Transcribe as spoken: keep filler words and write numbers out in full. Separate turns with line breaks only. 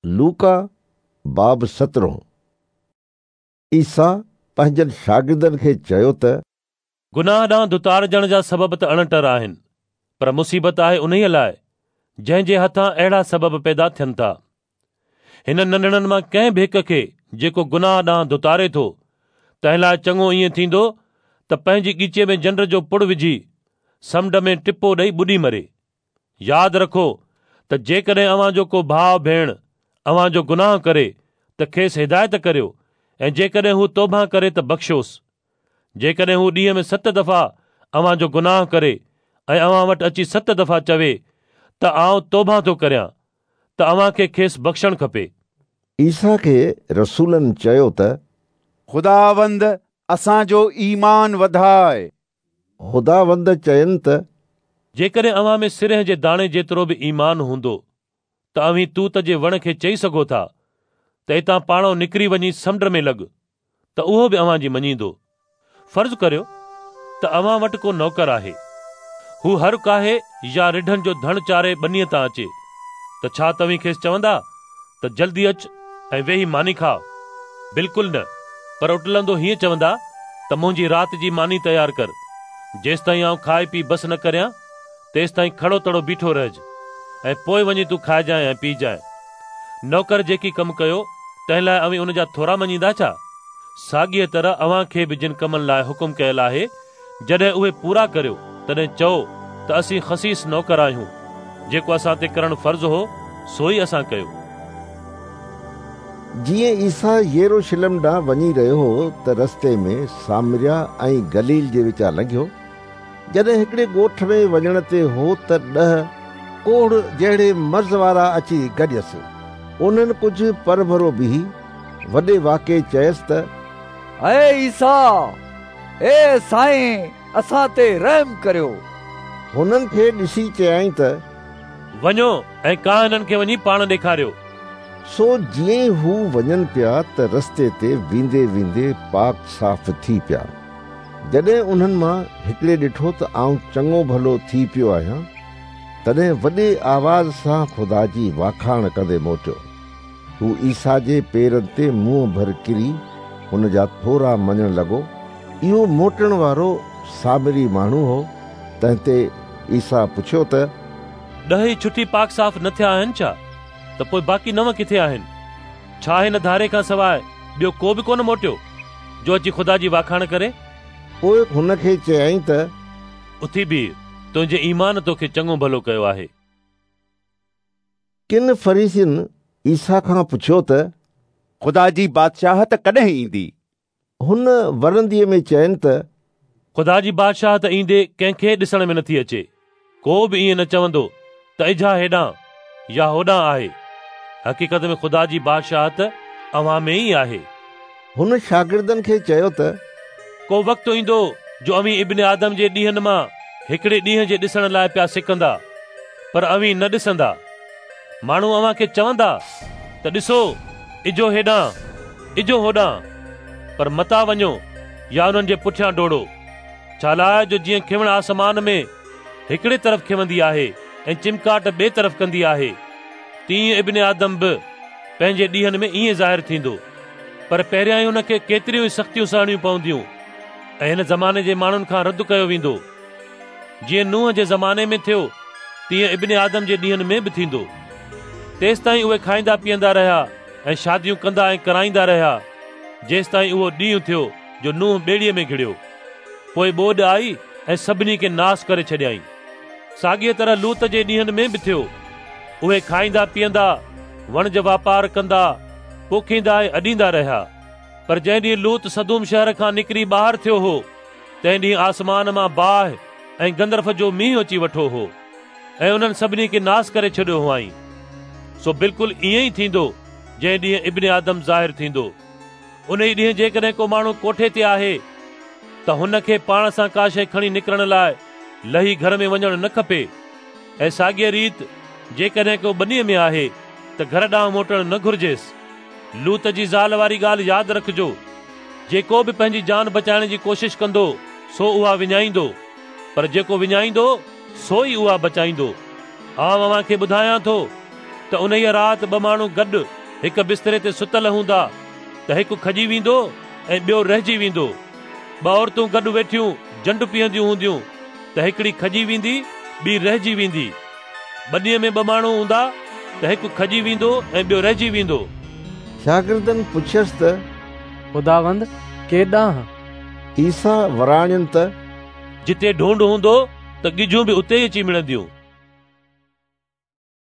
लूका बाब सत्रहं। ईसा पंहिंजनि शागिर्दनि खे चयो त
गुनाह ॾांहुं धुतारजण जा सबब त अणटर आहिनि, पर मुसीबत आहे उन्हीअ लाइ जंहिंजे हथां अहिड़ा सबब पैदा थियनि था। हिन नंढड़नि मां कंहिं बि हिक खे जेको गुनाह ॾांहुं धुतारे थो, तंहिं लाइ चङो ईअं थींदो त पंहिंजी ॻिचीअ में जंड जो पुड़ विझी समुंड में टिपो ॾेई ॿुॾी मरे। यादि रखो त जेकॾहिं अव्हां जो को भाउ भेण अव्हां जो गुनाह करे त खेसि हिदायत करियो, ऐं जेकॾहिं हू तौबा करे त बख़्शोसि। जेकॾहिं हू ॾींहं में सत दफ़ा अव्हां जो गुनाह करे ऐं अव्हां वटि अची सत दफ़ा चवे त आउं तौबा थो करियां, त अव्हां खे खेसि बख़्शणु खपे।
ईसा खे रसूलनि चयो त
खुदावंद असांजो ईमान वधाए।
खुदावंद चयनि त
जेकॾहिं अव्हां में सिरह जे दाणे जेतिरो बि ईमान हूंदो त अव्हीं तूत जे वण खे चई सघो था त हितां पाणो निकिरी वञी समुंड में लॻ, त उहो बि अव्हांजी मञींदो। फ़र्ज़ करियो त अव्हां वटि को नौकर आहे, हू हर काहे या रिढनि जो धण चारे ॿनीअ तां अचे, त छा तव्हीं खेसि चवंदा त जल्दी अच ऐं वेही मानी खाओ? बिल्कुलु न, पर उटलंदो हीअं चवंदा त मुंहिंजी राति जी मानी तयारु कर, जेसिताईं आउं खाए पी बसि न करियां तेसिताईं खड़ो तड़ो बीठो रहिज, ऐं पोइ वञी तूं खाइजांइ ऐं पीजांइ। नौकर जेकी कमु कयो तंहिं लाइ अव्हीं उन जा थोरा मञींदा छा? साॻीअ तरह अव्हां खे बि जिन कमनि लाइ हुकुम कयल आहे, जॾहिं उहे पूरा करियो तॾहिं चओ त असीं ख़सीस नौकर आहियूं, जेको असां ते करणु फ़र्ज़ हो सो ई असां कयो।
जीअं ईसा यरूशलेम ॾांहुं वञी रहियो हो त रस्ते में सामरिया ऐं गलील जे विचां लंघियो। जॾहिं हिकिड़े ॻोठ में वञण ते हो त ॾह कोढ़ जहिड़े मर्ज़ वारा अची गॾियसि। उन्हनि कुझु परभरो बीही वॾे वाके चयसि त
ए ईसा, ए साईं, असां ते रहम करियो।
हुननि खे ॾिसी चयाईं त
वञो ऐं काहिननि खे वञी पाण ॾेखारियो।
सो जीअं ई हू वञनि पिया त रस्ते ते वेंदे वेंदे पाक साफ़ थी पिया। जॾहिं उन्हनि मां हिकिड़े ॾिठो त आउं चङो भलो थी पियो आहियां, तॾहिं वॾे आवाज़ सां ख़ुदा जी वाखाण कंदे मोटियो। हू ईसा जे पेरनि ते मुंहुं भर किरी हुन जा थोरा मञणु लॻो। इहो मोटण वारो सामरी माण्हू हो। तंहिं ते ईसा पुछियो त
ॾह ई छुटी पाक साफ़ न थिया आहिनि छा? त पोइ बाक़ी नव किथे आहिनि? छा हिन धारे खां सवाइ ॿियो को बि कोन मोटियो जो अची ख़ुदा जी वाखाण करे?
पोइ हुनखे चयाईं त
उथी बीह, तुंहिंजे ईमान तोखे चङो भलो कयो आहे।
किन फरीसियुनि ईसा खां पुछियो त
ख़ुदा जी बादशाहत कॾहिं ईंदी?
हुन वरंदीअ में चयनि त
ख़ुदा जी बादशाहत ईंदे कंहिंखे ॾिसण में नथी अचे। को बि ईअं न चवंदो त इझा हेॾां या होॾां आहे। हक़ीक़त में ख़ुदा जी बादशाहत अव्हां में ई आहे।
हुन शागिर्दनि खे चयो त
को वक़्तु ईंदो जो अव्हीं इब्न आदम जे ॾींहनि मां हिकिड़े ॾींहं जे ॾिसण लाइ पिया सिकंदा, पर अव्हीं न ॾिसंदा। माण्हू अव्हां खे चवंदा त ॾिसो इजो हेॾां, इजो होॾां, पर मता वञो या उन्हनि जे पुठियां डोड़ो। छा लाइ जो जीअं खिवण आसमान में हिकिड़े तरफ़ खिवंदी आहे ऐं चिमकाट ॿिए तरफ़ कंदी आहे, तीअं इब्न आदम बि पंहिंजे ॾींहनि में ईअं ज़ाहिर थींदो। पर पहिरियां ई हुनखे केतिरियूं ई सख़्तियूं सहणियूं पवंदियूं ऐं हिन ज़माने जे माण्हुनि खां रद्द कयो वेंदो। जीअं नूह जे ज़माने में थियो तीअं इब्न आदम जे ॾींहनि में बि थींदो। तेसिताईं उहे खाईंदा पीअंदा रहिया ऐं शादियूं कंदा ऐं कराईंदा रहिया, जेसिताईं उहो ॾींहुं थियो जो नूह ॿेड़ीअ में घिड़ियो। पोइ ॿोॾ आई ऐं सभिनी खे नास करे छॾियाईं। साॻीअ तरह लूत जे ॾींहनि में बि थियो। उहे खाईंदा पीअंदा, वणज वापार कंदा, पोखींदा ऐं अॾींदा रहिया। पर जंहिं ॾींहुं लूत सदूम शहर खां निकिरी ॿाहिरि थियो हो, तंहिं ॾींहुं आसमान मां बाहि ऐं गंदरफ जो मींहुं अची वठो हो ऐं उन्हनि सभिनी खे नास करे छॾियो हुआईं। सो बिल्कुलु ईअं ई थींदो जंहिं ॾींहुं इब्न आदम ज़ाहिर थींदो। उन ई ॾींहुं जेकॾहिं को माण्हू कोठे ते आहे त हुनखे पाण सां का शइ खणी निकिरण लाइ लही घर में वञणु न खपे। ऐं साॻीअ रीति जेकॾहिं को ॿनीअ में आहे त घर ॾांहुं मोटणु न घुर्जेसि। लूत जी ज़ाल वारी ॻाल्हि यादि रखिजो। जेको बि पंहिंजी जान बचाइण जी कोशिश कंदो सो उहा विञाईंदो, पर जेको विञाईंदो सो ई उहा बचाईंदो। आउं अव्हां खे ॿुधायां थो ته انهيء رات ٻه ماڻهو گڏ هڪ بستري تي ستل هوندا ته هڪ کڄي ويندو ۽ ٻيو رهجي ويندو. ٻه عورتون گڏ ويٺيون جنڊ پيهنديون هونديون ته هڪڙي کڄي ويندي، ٻي رهجي ويندي. ٻنيء ۾ ٻه ماڻهو هوندا ته هڪ کڄي ويندو ۽ ٻيو رهجي ويندو.
شاگردن پڇيس ته
خداوند ڪيڏانهن؟
عيسيٰ وراڻين ته
جتي ڍونڍ هوندو ته ڳجهون به اتي ئي اچي ملنديون.